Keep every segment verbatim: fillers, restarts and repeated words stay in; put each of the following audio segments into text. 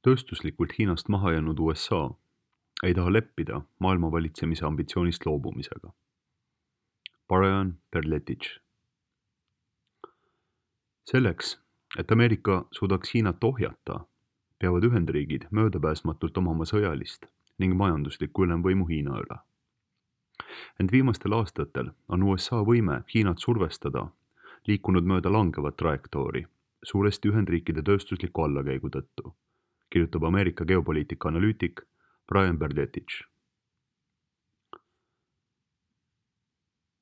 Tööstuslikult Hiinast maha jäänud U S A ei taha leppida maailma valitsemise ambitsioonist loobumisega. Brian Perletich. Selleks, et Ameerika suudaks Hiinat ohjata, peavad Ühendriigid möödapääsmatult omama sõjalist ning majanduslikku ülemvõimu Hiina üle. Ent viimastel aastatel on U S A võime Hiinat survestada liikunud mööda langevat trajektoori, suuresti Ühendriikide tööstusliku allakäigu tõttu, kirjutab Ameerika geopoliitika analüütik Brian Perletich.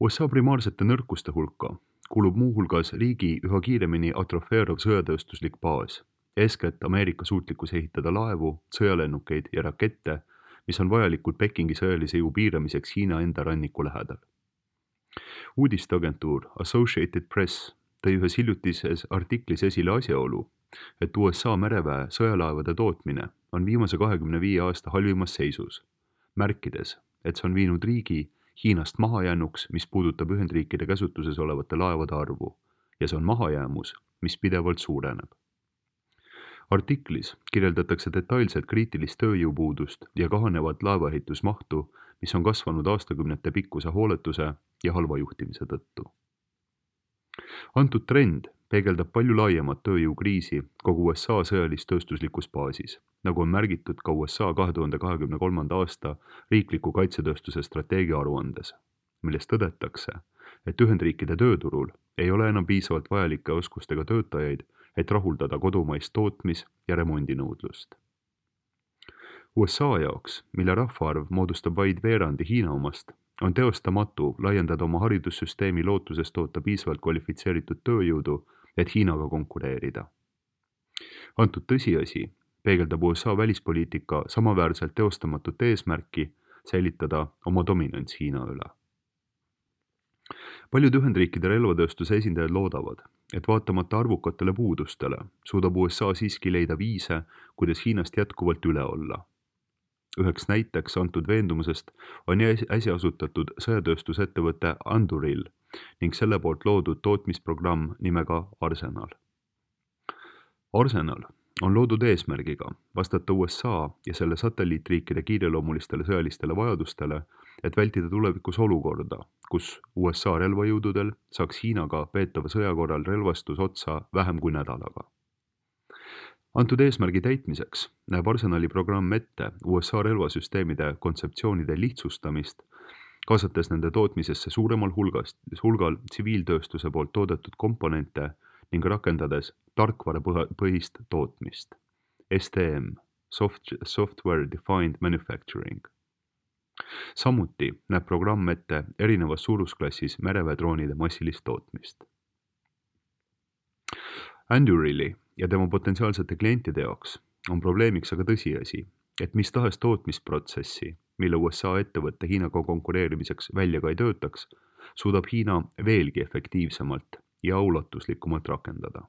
U S A primaarsete nõrkuste hulka kuulub muuhulgas riigi üha kiiremini atrofeeruv sõjatööstuslik baas, eeskätt Ameerika suutlikkus ehitada laevu, sõjalennukeid ja rakette, mis on vajalikud Pekingi sõjalise jõu piiramiseks Hiina enda ranniku lähedal. Uudisteagentuur Associated Press tõi ühes hiljutises artiklis esile asjaolu, et U S A mereväe sõjalaevade tootmine on viimase kahekümne viie aasta halvimas seisus, märkides, et see on viinud riigi Hiinast mahajäänuks, mis puudutab Ühendriikide käsutuses olevate laevade arvu, ja see on mahajäämus, mis pidevalt suureneb. Artiklis kirjeldatakse detailselt kriitilist tööjõupuudust ja kahanevat laevaehitusmahtu, mis on kasvanud aastakümnete pikkuse hooletuse ja halva juhtimise tõttu. Antud trend peegeldab palju laiemat tööjõukriisi kogu U S A sõjalis-tööstuslikus baasis, nagu on märgitud ka U S A kahe tuhande kahekümne kolmanda aasta riikliku kaitsetööstuse strateegia aruandes, milles tõdetakse, et Ühendriikide tööturul ei ole enam piisavalt vajalike oskustega töötajaid, et rahuldada kodumaist tootmis- ja remondinõudlust. U S A jaoks, mille rahvaarv moodustab vaid veerandi Hiina omast, on teostamatu laiendada oma haridussüsteemi lootuses toota piisavalt kvalifitseeritud tööjõudu, et Hiinaga konkureerida. Antud tõsiasi peegeldab U S A välispoliitika samaväärselt teostamatut eesmärki säilitada oma dominants Hiina üle. Paljud Ühendriikide relvatööstuse esindajad loodavad, et vaatamata arvukatele puudustele suudab U S A siiski leida viise, kuidas Hiinast jätkuvalt üle olla. Üheks näiteks antud veendumusest on äsja asutatud sõjatööstusettevõte Anduril ning selle poolt loodud tootmisprogramm nimega Arsenal. Arsenal on loodud eesmärgiga vastata U S A ja selle satelliitriikide kiireloomulistele sõjalistele vajadustele, et vältida tulevikus olukorda, kus U S A relvajõududel saaks Hiinaga peetava sõja korral relvastus otsa vähem kui nädalaga. Antud eesmärgi täitmiseks näeb Arsenali programm ette U S A relvasüsteemide kontseptsioonide lihtsustamist, kaasates nende tootmisesse suuremal hulgast, hulgal tsiviiltööstuse poolt toodetud komponente ning rakendades tarkvarapõhist tootmist, S T M, Software Defined Manufacturing. Samuti näeb programm ette erinevas suurusklassis mereväedroonide massilist tootmist. Andurili ja tema potentsiaalsete klientide jaoks on probleemiks aga tõsiasi, et mis tahes tootmisprotsessi, mille U S A ettevõtte Hiinaga konkureerimiseks välja ka ei töötaks, suudab Hiina veelgi efektiivsemalt ja ulatuslikumalt rakendada.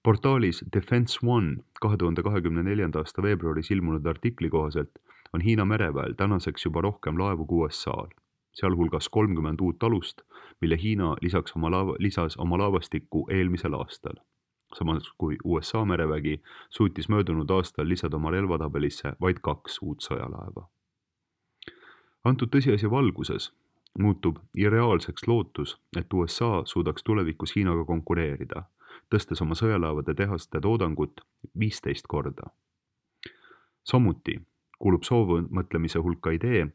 Portaalis Defense One kahe tuhande kahekümne neljanda aasta veebruaris ilmunud artikli kohaselt on Hiina mereväel tänaseks juba rohkem laevu kui U S A-l, sealhulgas kolmkümmend uut alust, mille Hiina lisaks oma laeva, lisas oma laevastikku eelmisel aastal. Samas kui U S A merevägi suutis möödunud aastal lisada oma relvatabelisse vaid kaks uut sõjalaeva. Antud tõsiasja valguses muutub irreaalseks lootus, et U S A suudaks tulevikus Hiinaga konkureerida, tõstes oma sõjalaevade tehaste toodangut viisteist korda. Samuti kuulub soovmõtlemise hulka idee,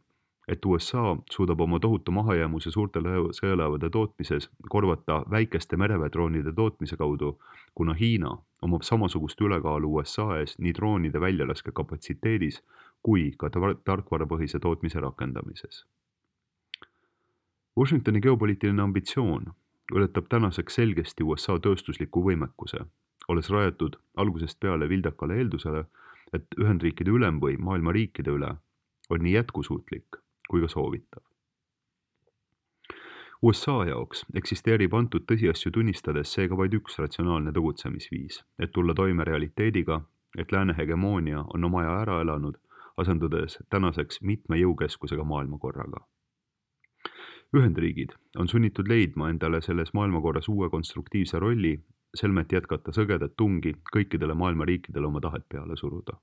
et U S A suudab oma tohutu mahajäämuse suurte sõjalaevade tootmises korvata väikeste mereväedroonide tootmise kaudu, kuna Hiina omab samasugust ülekaalu U S A ees nii droonide väljalaske kapatsiteedis kui ka tarkvarapõhise tootmise rakendamises. Washingtoni geopoliitiline ambitsioon ületab tänaseks selgesti U S A tööstusliku võimekuse, olles rajatud algusest peale vildakale eeldusele, et Ühendriikide ülemvõim maailma riikide üle on nii jätkusuutlik kui ka soovitav. U S A jaoks eksisteerib antud tõsiasju tunnistades seega vaid üks ratsionaalne tegutsemisviis, et tulla toime realiteediga, et lääne hegemoonia on oma aja ära elanud, asendudes tänaseks mitme jõukeskusega maailmakorraga. Ühendriigid on sunnitud leidma endale selles maailmakorras uue konstruktiivse rolli selmet jätkata sõgedat tungi kõikidele maailma riikidele oma tahet peale suruda.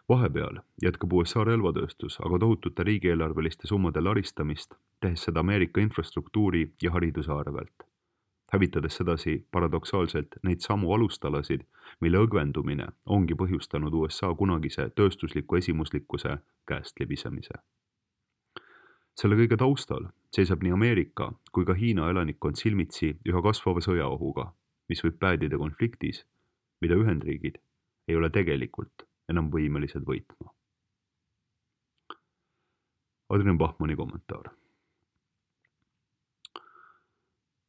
Vahepeal jätkab U S A relvatööstus aga tohutute riigieelarveliste summade laristamist, tehes seda Ameerika infrastruktuuri ja hariduse arvelt, hävitades sedasi paradoksaalselt neid samu alustalasid, mille õgvendumine ongi põhjustanud U S A kunagise tööstusliku esimuslikkuse käest libisemise. Selle kõige taustal seisab nii Ameerika kui ka Hiina elanikkond silmitsi üha kasvava sõjaohuga, mis võib päädida konfliktis, mida Ühendriigid ei ole tegelikult enam võimelised võitma. Adrian Bachmanni kommentaar.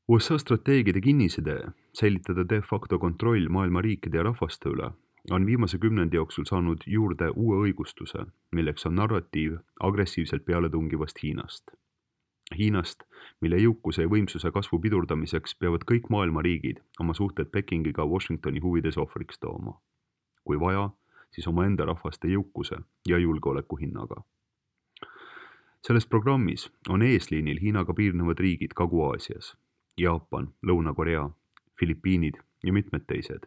U S A strateegide kinnisidee säilitada de facto kontroll maailma riikide ja rahvaste üle on viimase kümnendi jooksul saanud juurde uue õigustuse, milleks on narratiiv agressiivselt pealetungivast Hiinast. Hiinast, mille jõukuse ja võimsuse kasvu pidurdamiseks peavad kõik maailma riigid oma suhted Pekingiga Washingtoni huvides ohvriks tooma. Kui vaja, siis omaenda rahvaste jõukuse ja julgeoleku hinnaga. Selles programmis on eesliinil Hiinaga piirnevad riigid Kagu-Aasias, Jaapan, Lõuna-Korea, Filipiinid ja mitmed teised,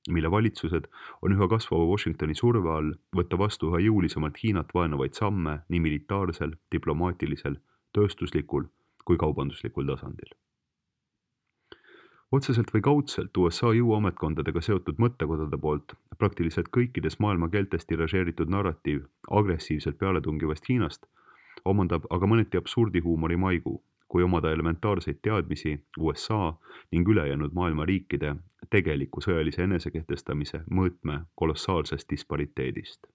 mille valitsused on üha kasvava Washingtoni surve all võtta vastu üha jõulisemalt Hiinat vaenavaid samme nii militaarsel, diplomaatilisel, tööstuslikul kui kaubanduslikul tasandil. Otseselt või kaudselt U S A jõuametkondadega seotud mõttekodade poolt praktiliselt kõikides maailma keeltes tiražeeritud narratiiv agressiivselt pealetungivast Hiinast omandab aga mõneti absurdihuumori maigu, kui omada elementaarseid teadmisi U S A ning ülejäänud maailma riikide tegeliku sõjalise enesekehtestamise mõõtme kolossaalsest dispariteedist.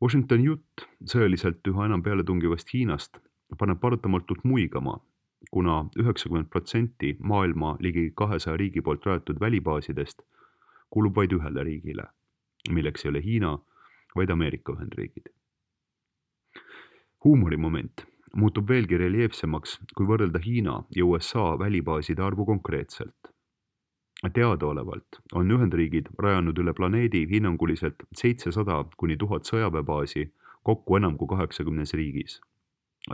Washingtoni jutt sõjaliselt üha enam pealetungivast Hiinast paneb paratamatult muigama, kuna üheksakümmend protsenti maailma ligi kahesaja riigi poolt rajatud välibaasidest kulub vaid ühele riigile, milleks ei ole Hiina, vaid Ameerika Ühendriigid. Huumorimoment muutub veelgi reljeefsemaks, kui võrrelda Hiina ja U S A välibaaside arvu konkreetselt. Teadaolevalt on Ühendriigid rajanud üle planeedi hinnanguliselt seitsesada kuni tuhat sõjaväebaasi kokku enam kui kaheksakümnes riigis.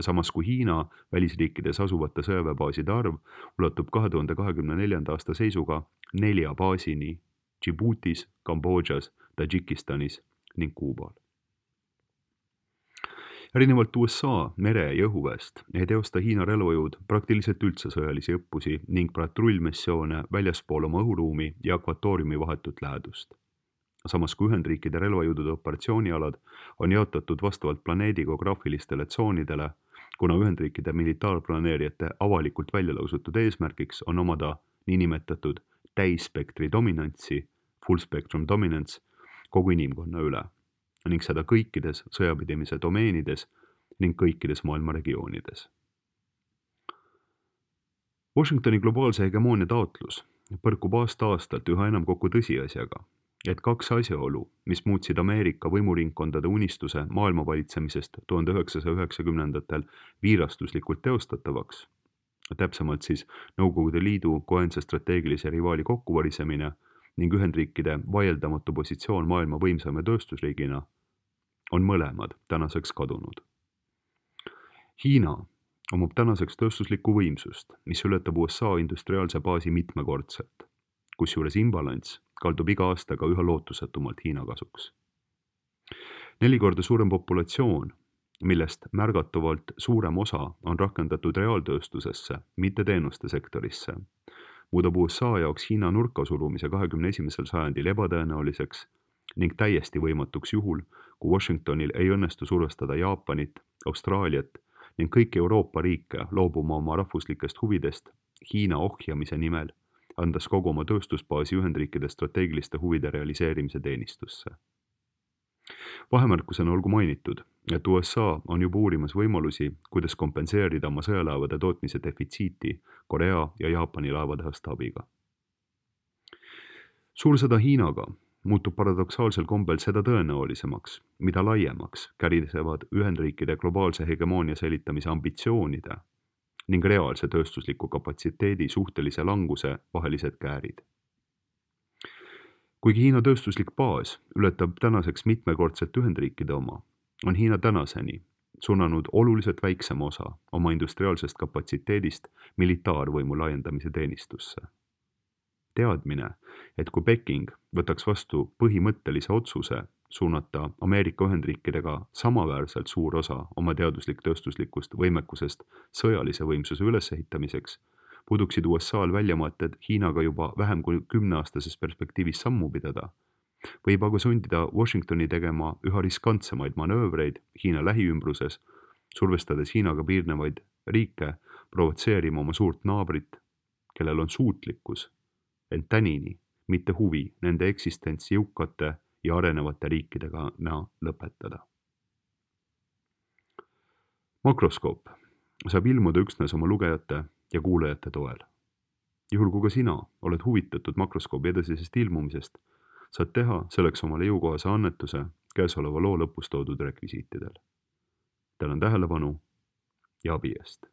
Samas kui Hiina välisriikides asuvate sõjaväebaaside arv ulatub kahe tuhande kahekümne neljanda aasta seisuga nelja baasini Djiboutis, Kambodžas, Tadžikistanis ning Kuubal. Erinevalt U S A mere- ja õhuväest ei teosta Hiina relvajõud praktiliselt üldse sõjalisi õppusi ning patrullmissioone väljaspool oma õhuruumi ja akvatooriumi vahetut lähedust. Samas kui Ühendriikide relvajõudude operatsioonialad on jaotatud vastavalt planeedi geograafilistele tsoonidele, kuna Ühendriikide militaarplaneerijate avalikult välja lausutud eesmärgiks on omada niinimetatud täisspektri dominantsi, full spectrum dominance, kogu inimkonna üle, ning seda kõikides sõjapidamise domeenides ning kõikides maailma regioonides. Washingtoni globaalse hegemoonia taotlus põrkub aasta-aastalt üha enam kokku tõsiasjaga, et kaks asjaolu, mis muutsid Ameerika võimuringkondade unistuse maailma valitsemisest tuhande üheksasaja üheksakümnendatel viirastuslikult teostatavaks, täpsemalt siis Nõukogude Liidu koense strateegilise rivaali kokkuvarisemine ning Ühendriikide vaieldamatu positsioon maailma võimsame tööstusriigina, on mõlemad tänaseks kadunud. Hiina omab tänaseks tööstuslikku võimsust, mis ületab U S A industriaalse baasi mitmekordselt, kusjuures imbalanss kaldub iga aastaga üha lootusetumalt Hiina kasuks. Neli korda suurem populatsioon, millest märgatavalt suurem osa on rakendatud reaaltööstusesse, mitte teenuste sektorisse, muudab U S A jaoks Hiina nurka surumise kahekümne esimesel sajandil ebatõenäoliseks ning täiesti võimatuks juhul, kui Washingtonil ei õnnestu survestada Jaapanit, Austraaliat ning kõiki Euroopa riike loobuma oma rahvuslikest huvidest Hiina ohjamise nimel, andes kogu oma tööstusbaasi Ühendriikide strateegiliste huvide realiseerimise teenistusse. Vahemärkusena olgu mainitud, et U S A on juba uurimas võimalusi, kuidas kompenseerida oma sõjalaevade tootmise defitsiiti Korea ja Jaapani laevatehaste abiga. Suursõda Hiinaga muutub paradoksaalsel kombel seda tõenäolisemaks, mida laiemaks kärisevad Ühendriikide globaalse hegemoonia säilitamise ambitsioonide ning reaalse tööstusliku kapatsiteedi suhtelise languse vahelised käärid. Kuigi Hiina tööstuslik baas ületab tänaseks mitmekordselt Ühendriikide oma, on Hiina tänaseni suunanud oluliselt väiksema osa oma industriaalsest kapatsiteedist militaarvõimu laiendamise teenistusse. teadmine, et kui Peking võtaks vastu põhimõttelise otsuse suunata Ameerika Ühendriikidega samaväärselt suur osa oma teaduslik-tööstuslikust võimekusest sõjalise võimsuse ülesehitamiseks, puduksid U S A-l väljamaated Hiinaga juba vähem kui kümneaastases perspektiivis sammu pidada, võib aga sundida Washingtoni tegema üha riskantsemaid manöövreid Hiina lähiümbruses, survestades Hiinaga piirnevaid riike provotseerima oma suurt naabrit, kellel on suutlikkus, ent tänini mitte huvi nende eksistentsi jõukate ja arenevate riikidega lõpetada. Makroskoop saab ilmuda üksnes oma lugejate ja kuulajate toel. Juhul kui ka sina oled huvitatud makroskoobi edasisest ilmumisest, saad teha selleks omale jõukohase annetuse käesoleva loo lõpus toodud rekvisiitidel. Tänan tähelepanu ja abi eest!